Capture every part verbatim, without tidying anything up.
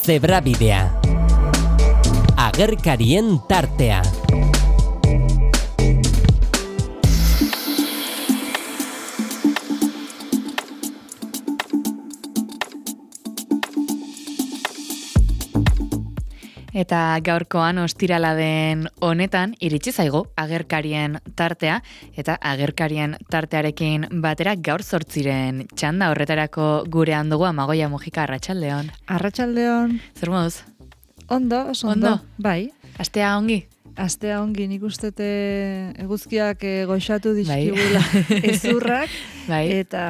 Zebrabidea. Agerkarien tartea. Eta gaurkoan ostirala den honetan iritsi zaigu agerkarien tartea eta agerkarien tartearekin batera gaur zortziren txanda horretarako gurean dugu Amagoia Mujika. Arratsaldeon. Arratsaldeon. Zer moduz? Ondo, oso ondo. Ondo? Bai. Astea ongi? Astea ongi, nik ustete eguzkiak eh, goxatu dizkigula bai. Ezurrak, bai. Eta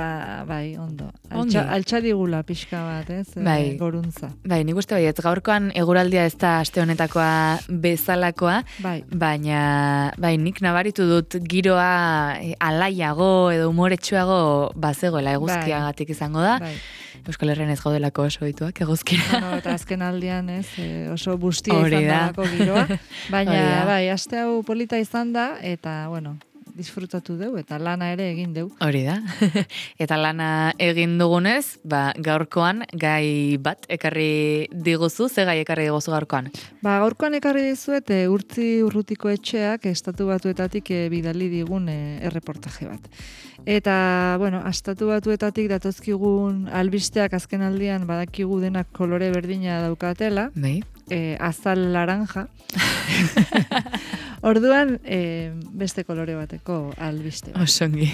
bai, ondo. Altxa, altxadigula pixka bat, ez? Bai. E, goruntza. Bai, nik uste baiet, gaurkoan eguraldia ez da aste honetakoa bezalakoa, bai. Baina bai, nik nabaritu dut giroa e, alaiago edo umoretsuago bazegoela eguzkiagatik izango da. Bai. Euskal Herrian ez gaudelako oso ohituak eguzkira. Bueno, eta azken aldian ez, oso bustia izan dalako giroa. Baina, bai, aste hau polita izan da, eta, bueno, disfrutatu deu, eta lana ere egin deu. Hori da. Eta lana egin dugunez, ba, gaurkoan gai bat ekarri diguzu, ze gai ekarri diguzu gaurkoan? Ba, gaurkoan ekarri dizuet, e, Urtzi Urrutiko etxeak estatu batuetatik e, bidali digun e, erreportaje bat. Eta, bueno, estatu batuetatik datozkigun albisteak azken aldian badakigu denak kolore berdina daukatela. Bai. E, azal laranja. Orduan, e, beste kolore bateko albiste. Osongi.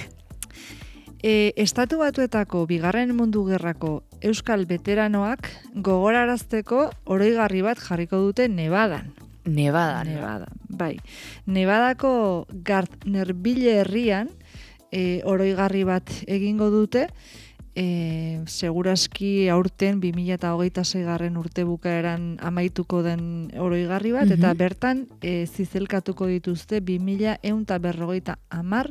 E, estatu batuetako bigarren mundu gerrako euskal veteranoak gogorarazteko oroigarri bat jarriko dute Nevadan. Nevadan. Nevadan, bai. Nevadako Gardnerville herrian e, oroigarri bat egingo dute, e, seguraski aurten bi mila hogeita sei garren urte bukaeran amaituko den oroigarri bat, mm-hmm. eta bertan e, zizelkatuko dituzte bi mila ehun eta berrogeita hamar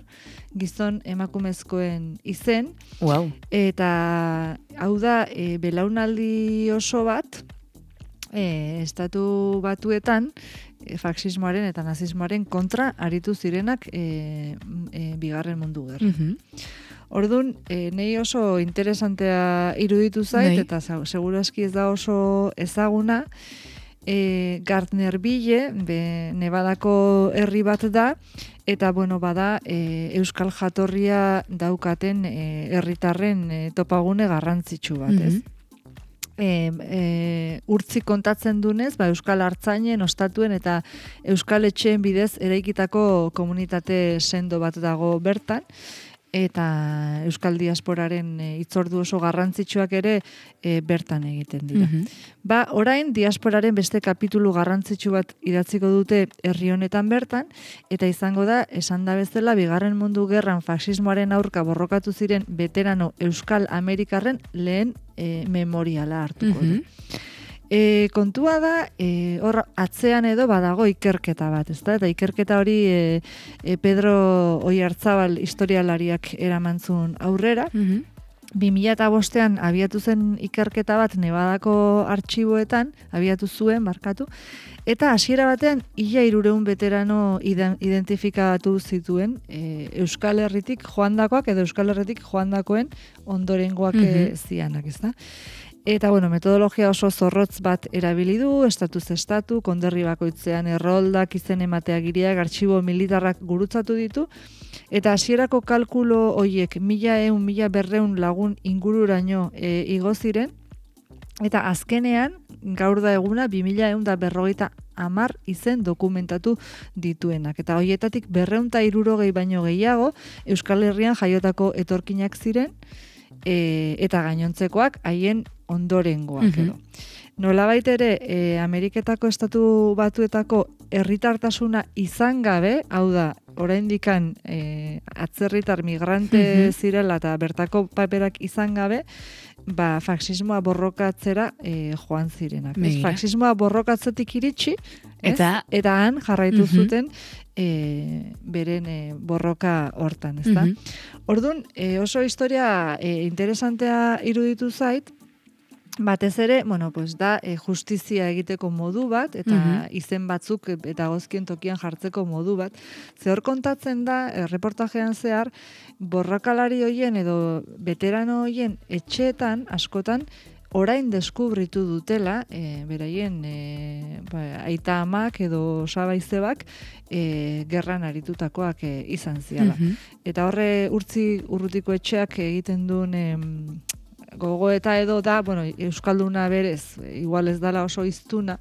gizon emakumezkoen izen. Wow. Eta hau da e, belaunaldi oso bat, e, estatu batuetan e, faxismoaren eta nazismoaren kontra aritu zirenak e, e, bigarren mundu gerra. Mm-hmm. Orduan, e, nei oso interesantea iruditu zait, Nei. eta segurazki ez da oso ezaguna, e, Gardnerville, be, Nevadako herri bat da, eta bueno, bada e, euskal jatorria daukaten e, herritarren e, topagune garrantzitsu bat, ez? Mm-hmm. E, e, urtzi kontatzen dunez, ba, euskal hartzainen, ostatuen eta euskal etxeen bidez eraikitako komunitate sendo bat dago bertan, eta euskal diasporaren e, hitzordu oso garrantzitsuak ere e, bertan egiten dira. Mm-hmm. Ba, orain diasporaren beste kapitulu garrantzitsu bat idatziko dute herri honetan bertan, eta izango da, esan da bezala, bigarren mundu gerran faxismoaren aurka borrokatu ziren veterano euskal amerikarren lehen e, memoriala hartuko du. Mm-hmm. E, kontua da, e, hor atzean edo badago ikerketa bat, ezta? Eta ikerketa hori e, e, Pedro Oiartzabal historialariak eramantzun aurrera. Mm-hmm. bi mila bostean abiatu zen ikerketa bat Nevadako artxiboetan, abiatu zuen, markatu, eta hasiera batean ia hirurehun veterano identifikatu zituen e, Euskal Herritik joandakoak edo Euskal Herritik joandakoen ondorengoak mm-hmm. zianak, ezta? Eta, bueno, metodologia oso zorrotz bat erabili du, estatuz estatu, konderri bakoitzean erroldak, izen emateagiriak, artxibo militarrak gurutzatu ditu, eta hasierako kalkulo hoiek mila eun, mila berreun lagun ingururaino e, igo ziren, eta azkenean, gaur da eguna, bi mila eun da berrogeita hamar izen dokumentatu dituenak. Eta hoietatik berreun eta hirurogei baino gehiago, Euskal Herrian jaiotako etorkinak ziren, e, eta gainontzekoak haien ondorengoak edo. Mm-hmm. Nolabait ere, e, Ameriketako estatu batuetako herritartasuna izan gabe, hau da, oraindikan e, atzerritar migrante mm-hmm. zirela eta bertako paperak izan gabe, ba, faxismoa borrokatzera e, joan zirenak. Ez? Faxismoa borrokatzetik iritsi, ez? Eta, eta han jarraitu mm-hmm. zuten e, beren e, borroka hortan, ezta? Mm-hmm. Orduan, e, oso historia e, interesantea iruditu zait, batez ere, bueno, pues da e, justizia egiteko modu bat, eta mm-hmm. izen batzuk eta gozkien tokian jartzeko modu bat. Ze hor kontatzen da, e, reportajean zehar, borrakalari hoien edo veterano hoien etxeetan, askotan, orain deskubritu dutela, e, beraien e, ba, aita amak edo sabaizebak e, gerran aritutakoak e, izan ziala. Mhm. Eta horre urtzi urrutiko etxeak egiten duen em, gogoeta edo da, bueno, euskalduna berez, igual ez dala oso iztuna,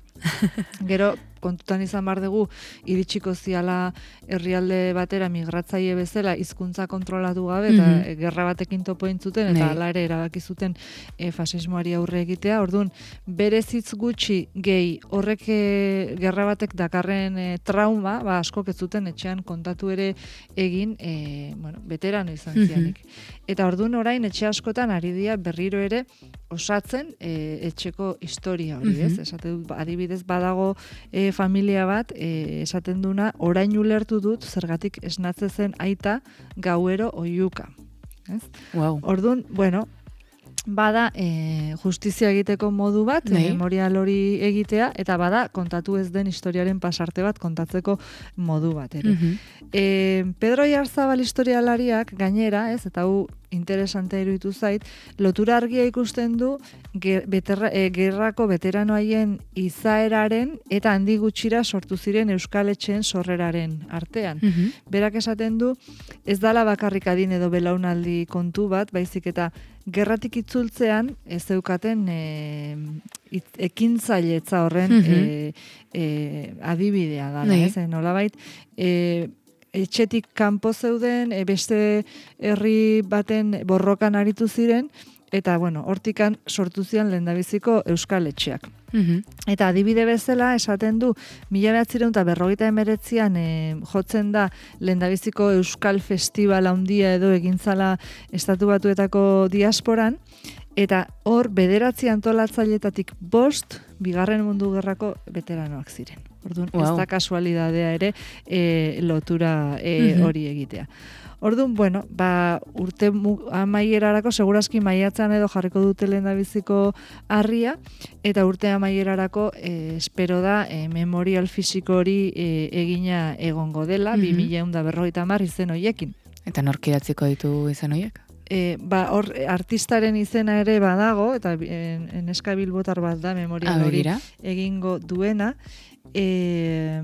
gero kontutan izan bar dugu iritsiko ziala herrialde batera migratzaile bezala hizkuntza kontrolatu gabe eta Mhm. gerra batekin topo intzuten eta Bai. hala ere erabaki zuten e, fasismoari aurre egitea. Orduan, berez hitz gutxi gehi horrek e, gerra batek dakarren e, trauma, ba askok ez zuten etxean kontatu ere egin, e, bueno, veterano izan Mhm. zianik. Eta orduan orain etxe askotan ari dira berriro ere osatzen e, etxeko historia hori, ez? Mhm. Esate dut, adibidez badago e, familia bat, e, esaten duna, orain ulertu dut zergatik esnatze zen aita gauero oiuka. Ez? Wow. Orduan, bueno, bada e, justizia egiteko modu bat, Bai. memorial hori egitea, eta bada kontatu ez den historiaren pasarte bat kontatzeko modu bat ere. Mhm. E, Pedro Iarzabal historialariak gainera, ez, eta hu interesante iruditu zait, lotura argia ikusten du ger, beterra, e, gerrako veterano haien izaeraren eta handi gutxira sortu ziren Euskal Etxeen sorreraren artean. Mhm. Berak esaten du, ez dala bakarrik adin edo belaunaldi kontu bat, baizik eta gerratik itzultzean ez zeukaten e, it, ekintzailetza horren Mhm. e, e, adibidea dala, Bai. ez? E, nolabait, e, etxetik kanpo zeuden, e, beste herri baten borrokan aritu ziren, eta, bueno, hortikan sortu zian lehendabiziko Euskal Etxeak. Mhm. Eta adibide bezala esaten du, mila behatzireun eta berrogeita emeretzian e, jotzen da lehendabiziko Euskal Festival handia edo egintzala Estatu Batuetako diasporan, eta hor bederatzi antolatzaileetatik bost bigarren mundu gerrako veteranoak ziren. Orduan, ez Wow. da kasualidadea ere e, lotura e, Mhm. hori egitea. Orduan, bueno, ba, urte mu- amaierarako, segurazki maiatzean edo jarriko dute lehendabiziko harria, eta urte amaierarako e, espero da e, memorial fisiko hori e, egina egongo dela, Mhm. bi mila ehun eta berrogeita hamar izen hoiekin. Eta nork idatziko ditu izan horiek? E, ba, hor, artistaren izena ere badago, eta en, en eska bilbotar bat da memorial Ah, hori begira. egingo duena. E,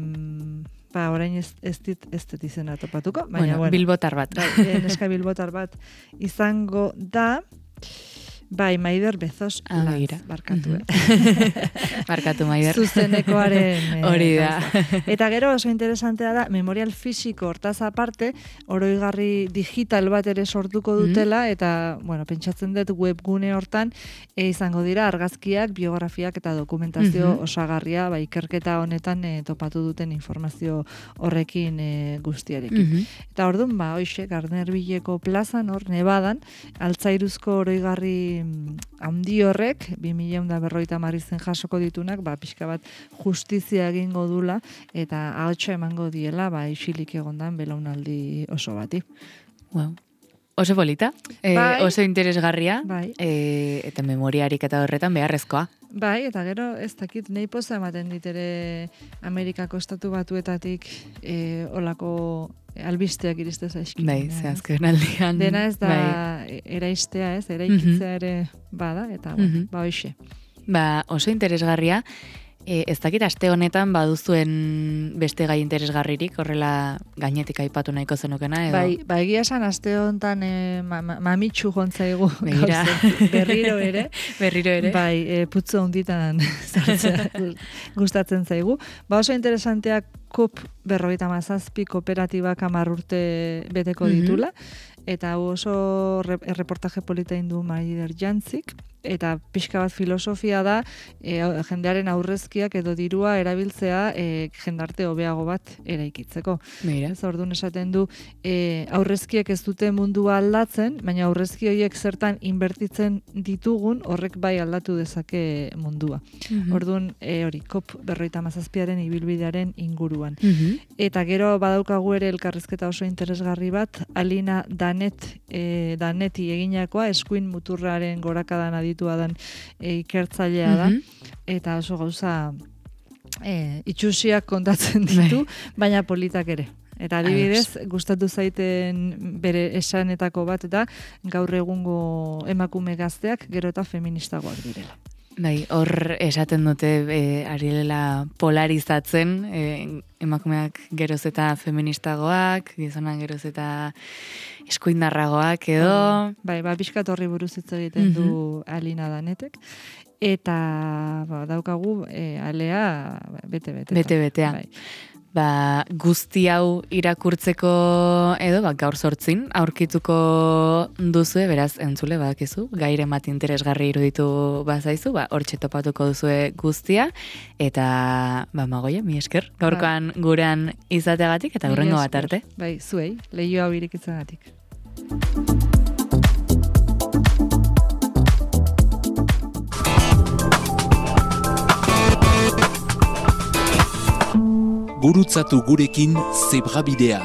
ba, orain ez, ez dit, ez dit izena topatuko, baina, Bueno, bueno, bilbotar bat. bai, e, neska bilbotar bat izango da, bai, Maider Bezos Ah, Lanz, begira. barkatu, Mhm. eh? Barkatu, Maider. Zuzenekoaren eh, Hori da. gauza. Eta gero oso interesantea da, memorial fisiko hortaz aparte, oroigarri digital bat ere sortuko dutela, eta, bueno, pentsatzen dut webgune hortan, e, izango dira argazkiak, biografiak eta dokumentazio Mhm. osagarria, ba, ikerketa honetan e, topatu duten informazio horrekin e, guztiarekin. Mhm. Eta orduan, ba, hoxe, Garnerbileko plazan, hor, Nebadan, altzairuzko oroigarri mm, handi horrek, bi mila ehun eta berrogeita hamar izen jasoko ditunak, ba, pixka bat justizia egingo dula, eta ahotsa emango diela, ba, isilik egondan belaunaldi oso bati. Wow. Oso polita, eh, Bai. oso interesgarria, Bai. eh, eta memoriarik eta horretan beharrezkoa. Bai, eta gero, ez dakit, nahi poza ematen dit ere Amerikako estatu batuetatik e, olako albisteak iriste zaizkin. Bai, ze azken aldian. Dena ez da Bai. eraistea, ez, eraikitzea ere bada, eta bueno, Mhm. ba hoxe. Ba, oso interesgarria. E, ez dakit aste honetan baduzuen beste gai interesgarririk, horrela gainetik aipatu nahiko zenukena, edo? Bai, ba egia esan aste honetan e, ma, ma, mamitsu jontzaigu Begira. gauzen, berriro ere. Berriro ere. Bai, e, putzu honditan sartzea gustatzen zaigu. Ba oso interesanteak COP berrogeita hamazazpi kooperatibak hamar urte beteko Mhm. ditula, eta hau oso re, erreportaje polita indu Maider Jantzik, eta pixka bat filosofia da e, jendearen aurrezkiak edo dirua erabiltzea e, jendarte hobeago bat eraikitzeko. Begira. Ez orduan esaten du e, aurrezkiek ez dute mundua aldatzen, baina aurrezki horiek zertan inbertitzen ditugun horrek bai aldatu dezake mundua. Mhm. Orduan e, hori COP berrogeita hamazazpiaren ibilbidearen inguruan. Mhm. Eta gero badaukagu ere elkarrizketa oso interesgarri bat, Alina Danet, e, Daneti eginakoa, eskuin muturraren gorakadan aditua dan e, ikertzailea da, Mhm. eta oso gauza e, itxusiak kontatzen ditu, baina politak ere. Eta adibidez, gustatu zaiten bere esanetako bat da, gaur egungo emakume gazteak gero eta feministagoak direla. Bai, hor esaten dute e, ari dela polarizatzen, e, emakumeak geroz eta feministagoak, gizonak geroz eta eskuindarragoak edo. Bai, ba, pixkat horri buruz hitz egiten du mm-hmm. Alina Danetek. Eta ba, daukagu e, alea bete-bete. Bete-betea. Bai. Ba, guzti hau irakurtzeko edo, ba, gaur sortzin, aurkituko duzue, beraz, entzule, badakizu, gaire bat interesgarri iruditu bazaizu, ba, hortxe topatuko duzue guztia, eta, ba, Magoia, mi esker, gaurkoan ba. Gurean izateagatik, eta hurrengo bat arte. Bai, zuei, lehio hau irikitzagatik. Gurutzatu gurekin Zebrabidea.